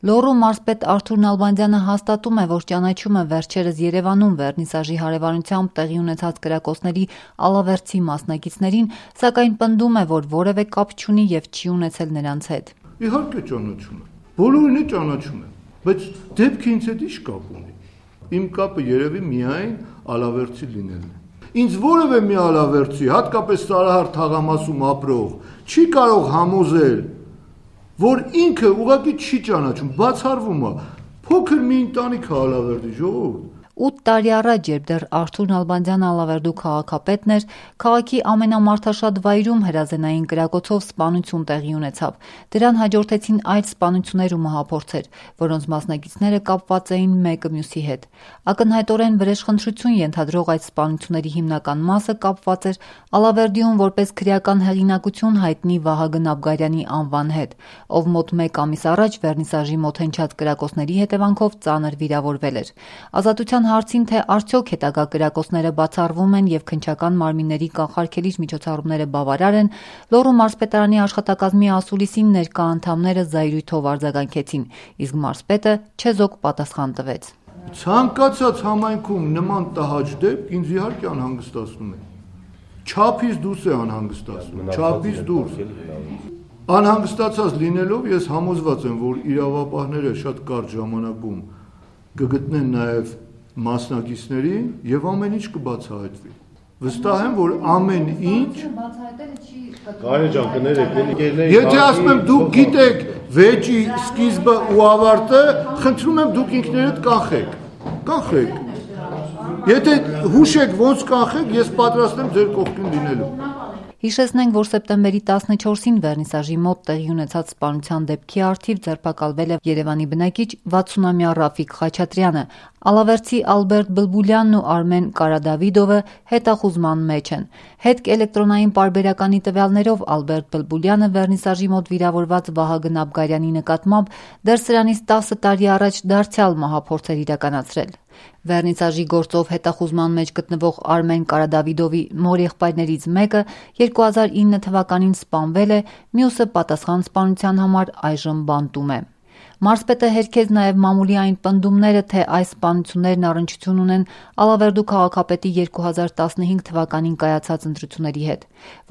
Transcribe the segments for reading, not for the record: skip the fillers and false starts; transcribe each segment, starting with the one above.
Լոռու մարզպետ Արթուր Նալբանդյանը հաստատում է, որ ճանաչում է վերջերս Երևանում վերնիսաժի հարևանությամբ տեղի ունեցած կրակոցների Ալավերդի մասնակիցներին, սակայն պնդում է, որ որևէ կապ չունի եւ չի ունեցել նրանց հետ։ Իհարկե ճանաչում եմ, բոլորին ճանաչում եմ, բայց դեպքը ինձ հետ ի՞նչ կապ ունի։ Իմ կապը երևի միայն Ալավերդի լինելն է։ Ինձ որևէ մի Ալավերդի, հատկապես Սարահար թաղամասում ապրող, չի կարող համոզել, որ ինքը ուղղակի չի ճանաչում, բացառվում է, փոքր մի ընտանիք է Ալավերդի, ժողովուրդ։ 8 տարի առաջ, երբ դեռ Արթուր Նալբանդյանը Ալավերդու քաղաքապետն էր, քաղաքի ամենամարդաշատ վայրում հրազենային կրակոցով սպանություն տեղի ունեցավ։ Դրան հաջորդեցին այլ սպանություններ ու մահափորձեր, որոնց մասնակիցները կապված էին մեկը մյուսի հետ։ Ակնհայտորեն վրեժխնդրություն ենթադրող այդ սպանությունների հիմնական մասը կապված էր Ալավերդիում որպես քրեական հեղինակություն հայտնի Վահագն Աբգարյանի անվան հետ, ով մոտ 1 ամիս առաջ վերնիսաժի մոտ հնչած կրակոցների հետևանքով ծանր վիրավորվել էր։ Ազատության հարցին, թե արդյոք հետագա կրակոցները բացառվում են եւ քննչական մարմինների կանխարգելիչ միջոցառումները բավարար են, Լոռու մարզպետարանի աշխատակազմի ասուլիսին ներկա անդամները զայրույթով արձագանքեցին, իսկ մարզպետը չեզոք պատասխան տվեց։ Ցանկացած համայնքում նման տհաճ դեպք ինձ իհարկե անհանգստացնում է։ Չափից դուրս է անհանգստացնում, չափից դուրս։ Անհանգստացած լինելով ես համոզված եմ, որ իրավապահները շատ կարճ ժամանակում կգտնեն նաև մասնակիցներին եւ ամեն ինչ կբացահայտվի։ Վստահ եմ, որ ամեն ինչ Կարեն ջան կներեք, եթե ասում եմ դուք գիտեք վեճի սկիզբը ու ավարտը, խնդրում եմ դուք ինքներդ կանխեք։ Եթե հուշեք ոնց կանխեք, ես պատրաստ եմ ձեր կողքին լինելու։ Հիշեցնենք, որ սեպտեմբերի 14-ին վերնիսաժի մոտ տեղի ունեցած սպանության դեպքի առթիվ ձերբակալվել է Երևանի բնակիչ 60-ամյա Ռաֆիկ Խաչատրյանը, Ալավերդի Ալբերտ Բլբուլյանն ու Արմեն Կարադավիդովը հետախուզման մեջ են։ Հետք էլեկտրոնային պարբերականի տվյալներով Ալբերտ Բլբուլյանը վերնիսաժի մոտ վիրավորված Վահագն Աբգարյանի նկատմամբ դեռ սրանից 10 տարի առաջ դարձյալ մահափորձ էր իրականացրել։ Վերնիսաժի գործով հետախուզման մեջ գտնվող Արմեն Կարադավիդովի մոր եղբայրներից մեկը 2009 թվականին սպանվել է, մյուսը պատասխան սպանության համար այժմ բանտում է։ Մարզպետը հերքեց նաև մամուլի այն պնդումները, թե այս սպանություններն առնչություն ունեն Ալավերդու քաղաքապետի 2015 թվականին կայացած ընտրությունների հետ,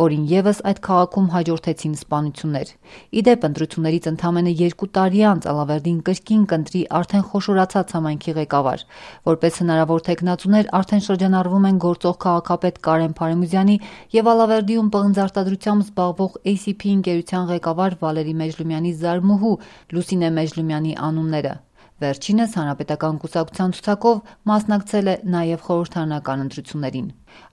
որին ևս այդ քաղաքում հաջորդեցին սպանություններ։ Իդեպ ընտրություններից ընդամենը 2 տարի անց Ալավերդին կրկին կընտրի արդեն խոշորացած համայնքի ղեկավար։ Որպես հնարավոր թեկնածուներ արդեն շրջանառվում են գործող քաղաքապետ Կարեն Փարեզյանի եւ Ալավերդիում պղնձարտադրությամբ զբաղվող ACP ընկերության ղեկավար Վալերի Մեջլումյանի զարմուհու Լուսինե Մեջլումյանի անունները։ Վերջինս հանրապետական կուսակցության ցուցակով մասնակցել է նաև խորհրդարանական ընտրություններին։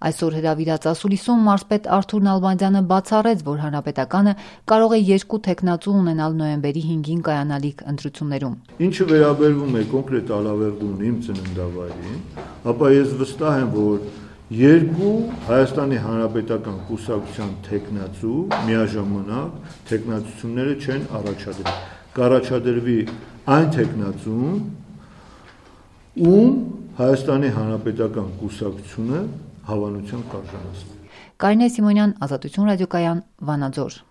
Այսօր հրավիրած ասուլիսում մարզպետ Արթուր Նալբանդյանը բացառեց, որ հանրապետականը կարող է 2 թեկնածու ունենալ նոյեմբերի 5-ին կայանալիք ընտրություններում։ Ինչը վերաբերվում է կոնկրետ Ալավերդուն իմ ծննդավայրին, ապա ես վստահ եմ, որ 2 Հայաստանի Հանրապետական կուսակցության թեկնածու միաժամանակ թեկնածությունները չեն առաջադրել։ Կառաջադրվի այն թեկնածուն, ում Հայաստանի Հանրապետական կուսակցությունը հավանության կարժանացնի։ Կարինե Սիմոնյան, Ազատություն ռադիոկայան, Վանաձոր։